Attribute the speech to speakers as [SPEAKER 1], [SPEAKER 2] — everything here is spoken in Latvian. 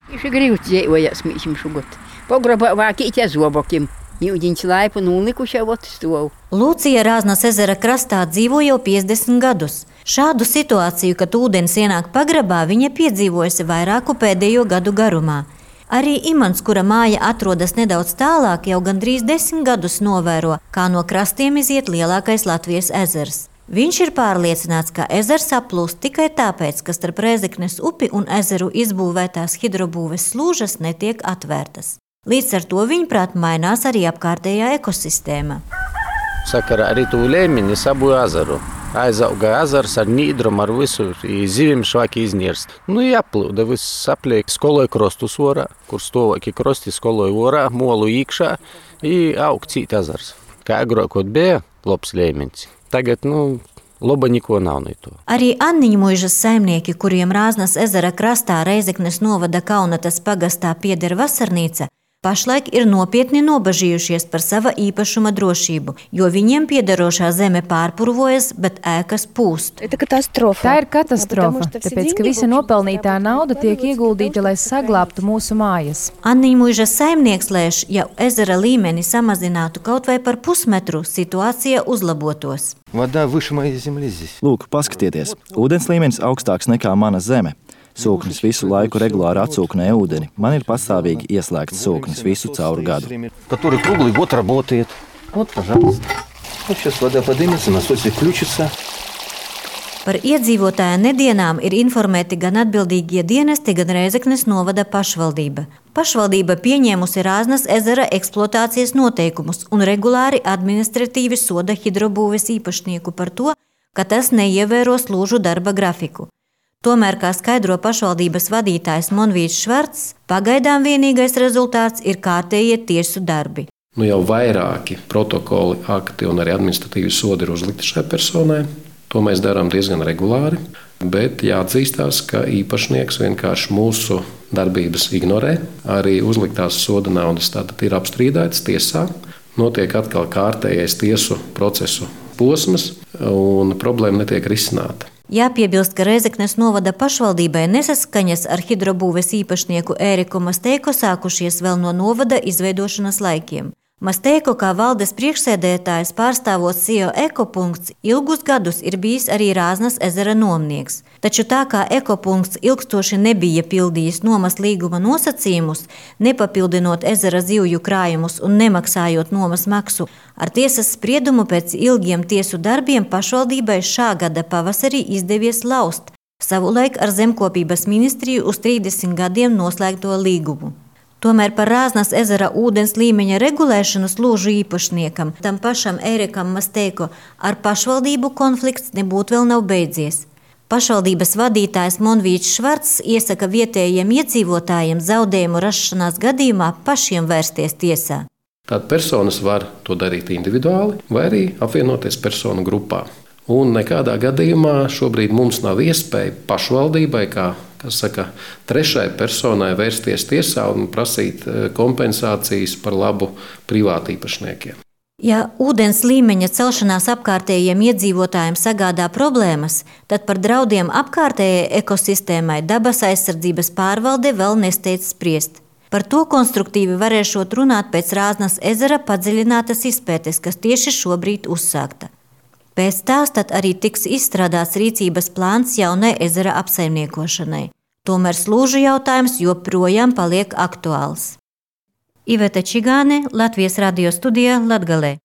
[SPEAKER 1] Viņš ir grīvs dzīvojas mīšim šugot. Pograbā vākīt zobokim. Jūdiņš laipu nulikuši jau atstovu.
[SPEAKER 2] Lūcija Rāznas ezera krastā dzīvo jau 50 gadus. Šādu situāciju, kad ūdens ienāk pagrabā, viņa piedzīvojusi vairāku pēdējo gadu garumā. Arī Imants, kura māja atrodas nedaudz tālāk, jau gandrīz 10 gadus novēro, kā no krastiem iziet lielākais Latvijas ezers. Viņš ir pārliecināts, ka ezers saplūst tikai tāpēc, ka starp Rēzeknes upi un ezeru izbūvētās hidrobūves slūžas netiek atvērtas. Līdz ar to viņuprāt mainās arī apkārtējā ekosistēma.
[SPEAKER 3] Sakarā arī tū Lēmini sabu ezeru. Aizauga ezers ar nīdrumu, ar visu, zivim švaki iznirst. Jāplūda, viss apliek, skoloja krostus orā, kur stovāki krosti skoloja orā, molu īkšā, aug cīt ezers. Kā agrākot bija, labs Lēmins. Tagad, loba niko nav no to.
[SPEAKER 2] Arī Anniņmuižas saimnieki, kuriem Rāznas ezera krastā Rēzeknes novada Kaunatas pagastā pieder vasarnīca, pašlaik ir nopietni nobažījušies par sava īpašuma drošību, jo viņiem piederošā zeme pārpurvojas, bet ēkas pūst.
[SPEAKER 4] Tā ir katastrofa, tāpēc, ka visa nopelnītā nauda tiek ieguldīta, lai saglābtu mūsu mājas.
[SPEAKER 2] Anniņmuižas saimnieks lēš, ja ezera līmeni samazinātu kaut vai par pusmetru, situācija uzlabotos.
[SPEAKER 5] Lūk, paskatieties, ūdens līmenis augstāks nekā mana zeme. Sūknis visu laiku regulāri atsūknē ūdeni. Man ir pastāvīgi ieslēgts sūknis visu cauru gadu. Par iedzīvotāju nedienām ir informēti gan atbildīgie dienesti, gan Rēzeknes novada pašvaldība. Pašvaldība pieņēmusi Rāznas ezera eksploatācijas noteikumus un regulāri administratīvi soda hidrobūves īpašnieku par to, ka tas neievēro slūžu darba grafiku. Tomēr, kā skaidro pašvaldības vadītājs Monvīts Švarcs, pagaidām vienīgais rezultāts ir kārtējie tiesu darbi.
[SPEAKER 6] Jau vairāki protokoli, akti un arī administratīvi sodi ir uzlikti šai personai. To mēs darām diezgan regulāri, bet jāatzīstās, ka īpašnieks vienkārši mūsu darbības ignorē. Arī uzliktās soda naudas tātad ir apstrīdētas tiesā. Notiek atkal kārtējais tiesu procesu posms un problēma netiek risināta.
[SPEAKER 2] Jāpiebilst, ka Rēzeknes novada pašvaldībai nesaskaņas ar hidrobūves īpašnieku Ēriku Masteiko sākušies vēl no novada izveidošanas laikiem. Masteiko kā valdes priekšsēdētājs pārstāvot SIO ekopunkts ilgus gadus ir bijis arī Rāznas ezera nomnieks. Taču tā kā ekopunkts ilgstoši nebija pildījis nomas līguma nosacījumus, nepapildinot ezera zivju krājumus un nemaksājot nomas maksu, ar tiesas spriedumu pēc ilgiem tiesu darbiem pašvaldībai šā gada pavasarī izdevies laust savulaik ar zemkopības ministriju uz 30 gadiem noslēgto līgumu. Tomēr par Rāznas ezera ūdens līmeņa regulēšanu slūžu īpašniekam, tam pašam Ērikam Masteiko, ar pašvaldību konflikts nebūtu vēl nav beidzies. Pašvaldības vadītājs Monvīts Švarcs iesaka vietējiem iedzīvotājiem zaudējumu rašanās gadījumā pašiem vērsties tiesā.
[SPEAKER 6] Tātad personas var to darīt individuāli vai arī apvienoties personu grupā. Un nekādā gadījumā šobrīd mums nav iespēja pašvaldībai, kā trešai personai vērsties tiesā un prasīt kompensācijas par labu privātīpašniekiem.
[SPEAKER 2] Ja ūdens līmeņa celšanās apkārtējiem iedzīvotājiem sagādā problēmas, tad par draudiem apkārtējai ekosistēmai dabas aizsardzības pārvalde vēl nesteidz spriest. Par to konstruktīvi varēšot runāt pēc Rāznas ezera padziļinātas izpētes, kas tieši šobrīd uzsākta. Pēc tās tad arī tiks izstrādāts rīcības plāns jaunai ezera apsaimniekošanai. Tomēr slūžu jautājums joprojām paliek aktuāls. Iveta Čigāne, Latvijas radio studijā Latgalē.